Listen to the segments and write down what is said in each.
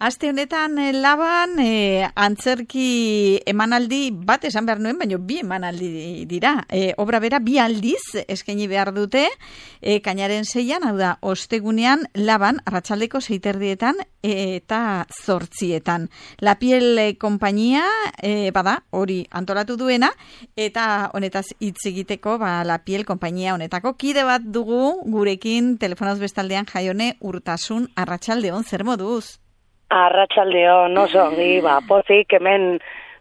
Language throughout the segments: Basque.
Aste honetan Laban antzerki emanaldi bat esan behar nuen, baina bi emanaldi dira. Obra bera bi aldiz eskaini behar dute, kainaren 6an, hau da, ostegunean Laban, arratsaldeko 6:30 eta 8:00. La Piel konpainia, bada, hori antolatu duena, eta honetaz hitz egiteko, La Piel konpainia honetako kide bat dugu gurekin telefonoz bestaldean Jaione Urtasun. Arratsaldeon, zer moduz? Arratsaldeon, oso ongi, pozik hemen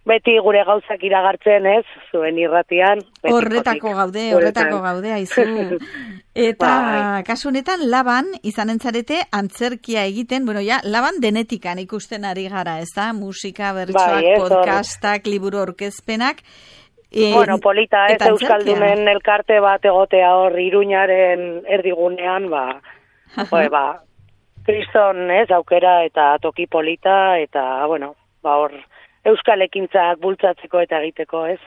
beti gure gauzak iragartzen, ez? Zuen irratian. Horretako gaude, aizu. Eta kasu honetan Laban izanen zarete antzerkia egiten, Laban denetikan ikusten ari gara, ez da? Musika, bertsoak, podcastak, liburu aurkezpenak. Polita, ez Euskaldunen elkarte bat egotea hor Iruñaren erdigunean, kriston, ez, aukera eta toki polita, eta, hor, euskal ekintzak bultzatzeko eta egiteko, ez?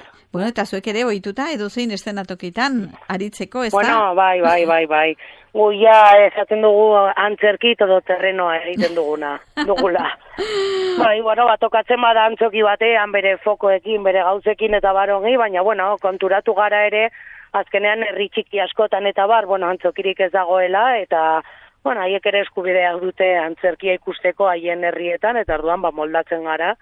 Eta zuek ere ohituta edozein eszenatokitan aritzeko, ez da? Bai. Guia esaten dugu antzerki todo terrenoa egiten dugula. Tokatzen bada antzoki batean, bere fokoekin, bere gauzekin eta barongi, baina, konturatu gara ere, azkenean herri txiki askotan eta antzokirik ez dagoela, eta haiek ere eskubideak dute antzerkia ikusteko haien herrietan, eta orduan moldatzen gara.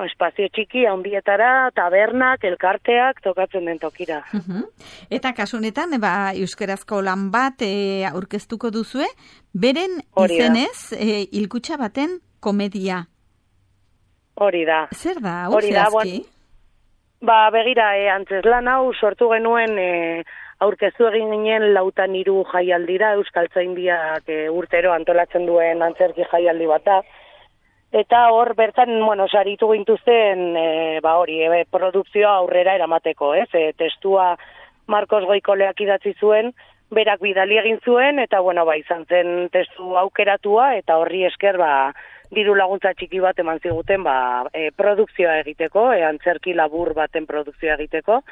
Espazio txiki, handietara, tabernak, elkarteak, tokatzen den tokira. Eta kasu honetan, euskarazko lan bat aurkeztuko duzue, beren izenez, hilkutxa baten komedia. Hori da. Zer da, zehazki? Begira, antzeslan hau sortu genuen aurkeztu egin ginen 4 jaialdira, Euskaltzaindiak urtero antolatzen duen antzerki jaialdi bata. Eta hor bertan, saritu gintuzten, produkzioa aurrera eramateko, ez? Testua Marcos Goikoleak idatzi zuen, berak bidali egin zuen, eta, izan zen testu aukeratua, eta horri esker, diru laguntza txiki bat eman ziguten, produkzioa egiteko, antzerki labur baten produkzioa egiteko.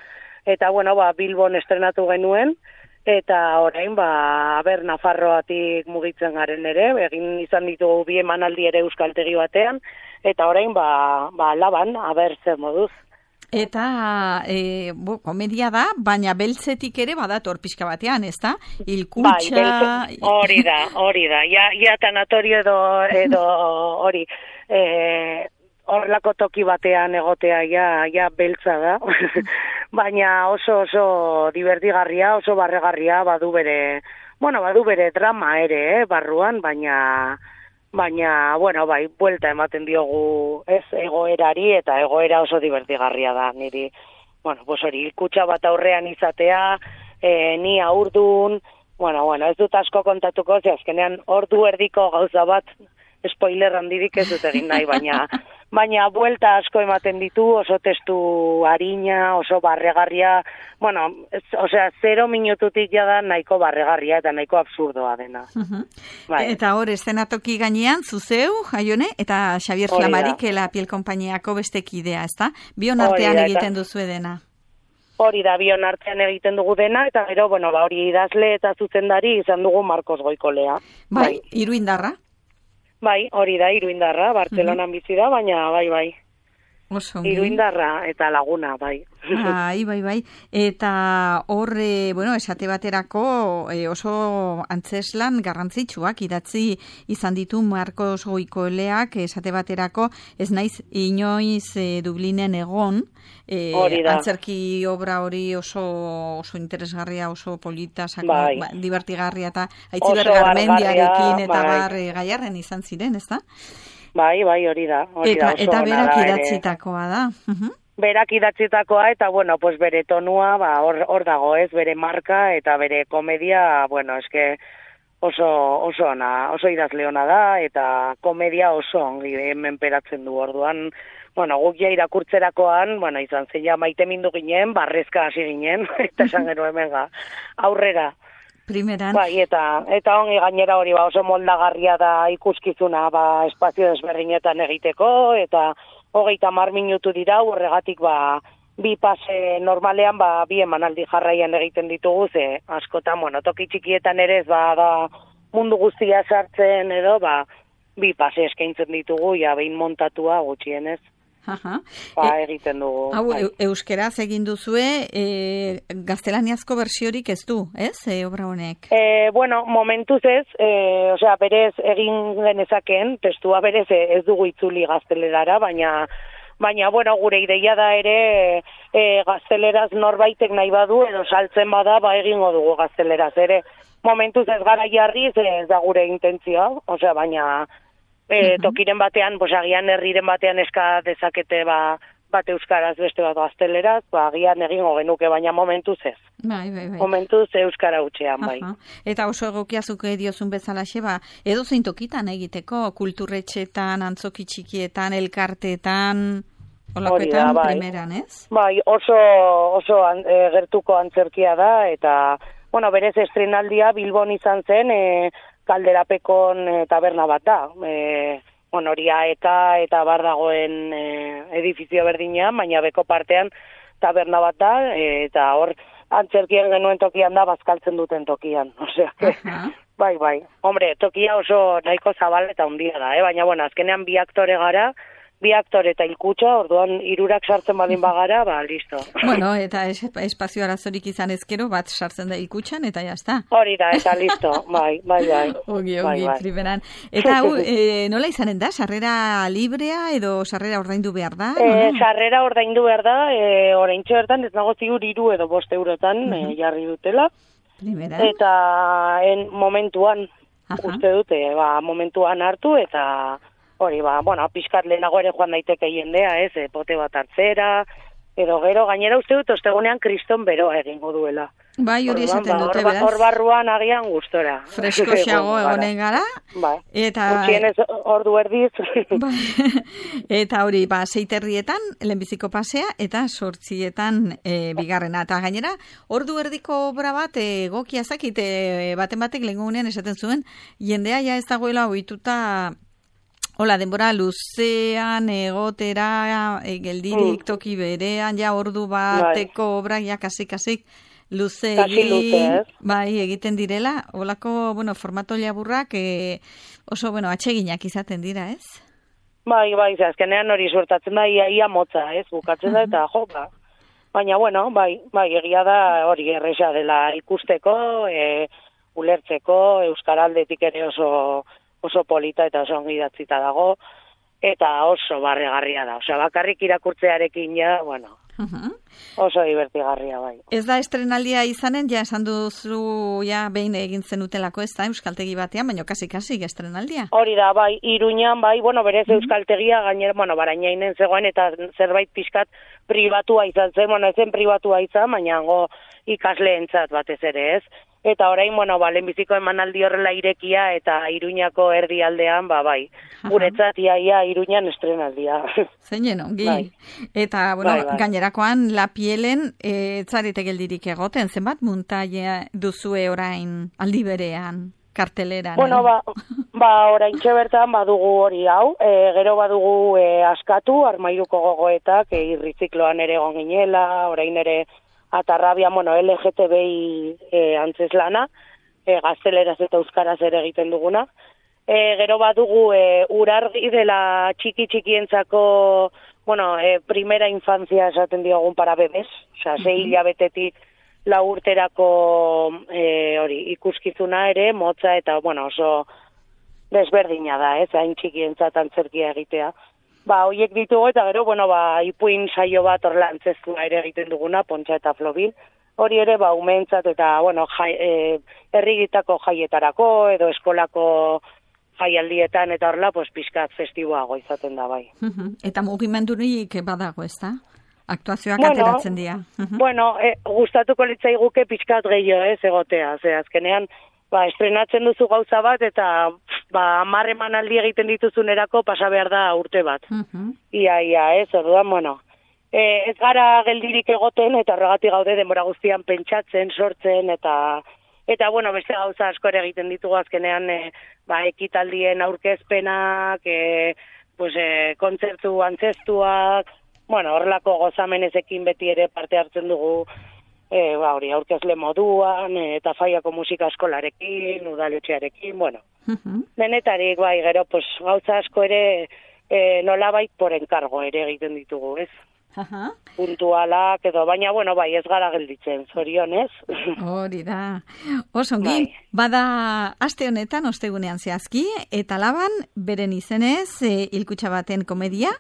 Eta, Bilbon estrenatu genuen, eta orain, Nafarroatik mugitzen garen ere, egin izan ditugu bi emanaldi ere euskaltegi batean, eta orain, Laban, zer moduz. Eta, komedia da, baina beltzetik ere badator pixka batean, ez da? Hilkutxa... Hori da. Ja tanatorio edo hori... Horlako toki batean egotea ja beltza da, baina oso divertigarria, oso barregarria, badu bere drama ere, barruan, baina, buelta ematen diogu ez egoerari, eta egoera oso divertigarria da, niri, hori, hilkutxa bat aurrean izatea, ni aurdun, ez dut asko kontatuko, azkenean ordu erdiko gauza bat, spoiler handirik ez dut egin nahi, baina buelta asko ematen ditu, oso testu harina, oso barregarria, 0 minututik jada nahiko barregarria eta nahiko absurdoa dena. Eta hor, eszenatoki gainean, zuzeu, Jaione, eta Xavier Flamarik, La Piel konpainiako beste kidea, ez da? Bion artean egiten duzu dena. Hori da, bion artean egiten dugu dena, eta gero, hori idazle eta zuzendari izan dugu Marcos Goikolea. Iruindarra? Hori da, Iruindarra, Bartzelonan bizi da, baina bai. Iruindarra eta Laguna, bai. Bai. Eta hor, esate baterako oso antzeslan garrantzitsuak idatzi izan ditu Marcos Goikoleak, esate baterako ez naiz inoiz Dublinen egon, antzerki obra hori oso interesgarria, oso polita, divertigarria eta Aitziber Garmendiarekin eta Gaiarren izan ziren, ez da? Bai, hori da. Eta berak idatzitakoa da. Berak idatzitakoa eta, bere tonua, hor dago ez, bere marka eta bere komedia, eske oso ona, oso idazle ona da, eta komedia oso ongi menperatzen du orduan. Guk ja irakurtzerakoan, izan zeia maite mindu ginen, barrezka hasi ginen, eta esan genuen aurrera. Primeran. Eta ongi gainera hori oso moldagarria da ikuskizuna espazio desberdinetan egiteko, eta 30 minutu dira, horregatik bi pase normalean bi emanaldi jarraian egiten ditugu, ze askotan, toki txikietan ere ez da mundu guztia sartzen edo, bi pase eskaintzen ditugu, ja behin montatua gutxienez. Aha. Egiten dugu. Hau, euskeraz egin duzue, gaztelaniazko bertsiorik ez du, ez, obra honek? Bueno, momentuz ez, osea, berez egin genezakeen, testua berez ez dugu itzuli gaztelerara, baina, bueno, gure ideia da ere gazteleraz norbaitek nahi badu, edo saltzen bada, egingo dugu gazteleraz ere. Momentuz ez gara jarriz, ez da gure intentzioa, osea, baina... tokiren batean, agian herriren batean eska dezakete bat euskaraz beste bat gazteleraz, agian egingo genuke, baina momentuz ez. Bai. Momentuz euskara utxean, bai. Eta oso egokiazuk diozun bezalaxe, edo zein tokitan egiteko, kulturretxetan, antzoki txikietan, elkarteetan, olakoetan primeran, ez? Bai, oso gertuko antzerkia da, eta, bueno, berez estrenaldia Bilbon izan zen, Kalderapekon taberna bat da. Hori AEK eta bar dagoen edifizio berdinean, baina beko partean taberna bat da, eta hor antzerkien genuen tokian da, bazkaltzen duten tokian. Osea, bai. Hombre, tokia oso nahiko zabal eta hundia da, baina, bueno, azkenean bi aktore gara, bi aktore eta hilkutxa, orduan hirurak sartzen badin bagara, listo. Bueno, eta espazio arazorik izan ezkero, bat sartzen da hilkutxan, eta jazta. Hori da, eta listo, bai. Ogi, primeran. Eta hau, nola izanen da? Sarrera librea edo sarrera ordaindu behar da? Sarrera ordaindu behar da, oraintxe bertan, ez nago ziur 3 edo 5 eurotan jarri dutela. Primera. Eta momentuan, uste dute, momentuan hartu, eta... Hori, pixkat lehenago ere joan daiteke jendea, pote bat hartzera, edo gero, gainera uste dut, ostegunean kriston beroa egingo duela. Bai, hori esaten dute, beraz. Hor barruan agian gustora. Freskoxeago egonen gara. Bai, gutxienez ordu erdiz. Eta hori, 6:00 lehenbiziko pasea, eta 8:00 bigarrena. Eta gainera, ordu erdiko obra bat, egokia zakite, baten lehengunean esaten zuen, jendea ja ez dagoela ohituta. Hola, denbora luzean, egotera, geldirik toki berean, ja ordu bateko obra, ja kasik luze egin, egiten direla. Holako, formato laburrak oso, atseginak izaten dira, ez? Bai, azkenean hori suertatzen da, ia motza, ez? Bukatzen da eta joka. Baina, egia da hori erresa dela ikusteko, ulertzeko, euskaraldetik ere oso polita eta oso ongi idatzita dago, eta oso barregarria da. Osea, bakarrik irakurtzearekin oso divertigarria, bai. Ez da estrenaldia izanen, ja esan duzu behin egin zenutelako, ez da, euskaltegi batean, baina kasi estrenaldia. Hori da, bai, Iruñan, bai, berez euskaltegia, gainera, Barainainen zegoen, eta zerbait pixkat pribatua izan zen, ez zen pribatua izan, baina ikasleentzat batez ere, ez? Eta orain, lehenbiziko emanaldi horrela irekia eta Iruñako erdialdean, bai. Guretzat, ia Iruñan estrenaldia. Zeinen ongi. Eta, gainerakoan, La Pielen, etzarete geldirik egoten, zenbat muntaia duzue orain aldi berean, karteleran? Orain bertan badugu hori hau, gero badugu askatu, Armairuko gogoetak, irrizikloan ere egon ginela, orain ere Atarrabia, LGTBI antzeslana, gazteleraz eta euskaraz ere egiten duguna. Gero badugu urargi dela txikientzako, primera infancia esaten diogun para bebes, osea, 6 hilabetetik 4 urterako ikuskizuna ere, motza eta, oso desberdina da, hain txikientzat antzerkia egitea. Hoiek ditugu eta gero, ipuin saio bat horrela antzeztua ere egiten duguna, Pontxa eta Flobil. Hori ere, umeentzat eta, herrigitako jaietarako edo eskolako jaialdietan eta horrela, pixkat festiboago izaten da, bai. Eta mugimendurik badago, ez da? Aktuazioak ateratzen dira. Gustatuko litzaiguke pixkat gehiago, ez egotea. Azkenean, estrenatzen duzu gauza bat eta 10 emanaldi egiten dituzunerako pasa behar da urte bat. Ia, ez, orduan, ez gara geldirik egoten eta horregatik gaude denbora guztian pentsatzen, sortzen eta beste gauza asko ere egiten ditugu azkenean ekitaldien aurkezpenak, kontzertu antzestuak, horrelako gozamenezekin beti ere parte hartzen dugu hori, aurkezle moduan, eta Faiako musika eskolarekin, udaletxearekin, bueno. Denetarik, bai, gero, pues, gauza asko ere nolabait por enkargo ere egiten ditugu, ez? Puntualak edo, baina, bueno, bai, ez gara gelditzen, zorionez. Hori da. Osongi, bada aste honetan, ostegunean zehazki, eta laban, beren izenez, hilkutxa baten komedia,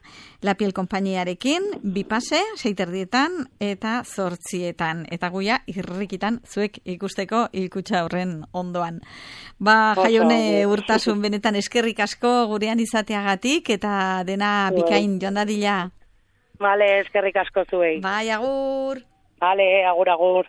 La Piel konpainiarekin, 2 pase, 6:30 eta 8:00, eta guia irrikitan zuek ikusteko hilkutxa horren ondoan. Jaione Urtasun benetan eskerrik asko gurean izateagatik, eta dena bikain joan dadila. Vale, eskerrik asko zuei. Bai, agur. Vale, agur.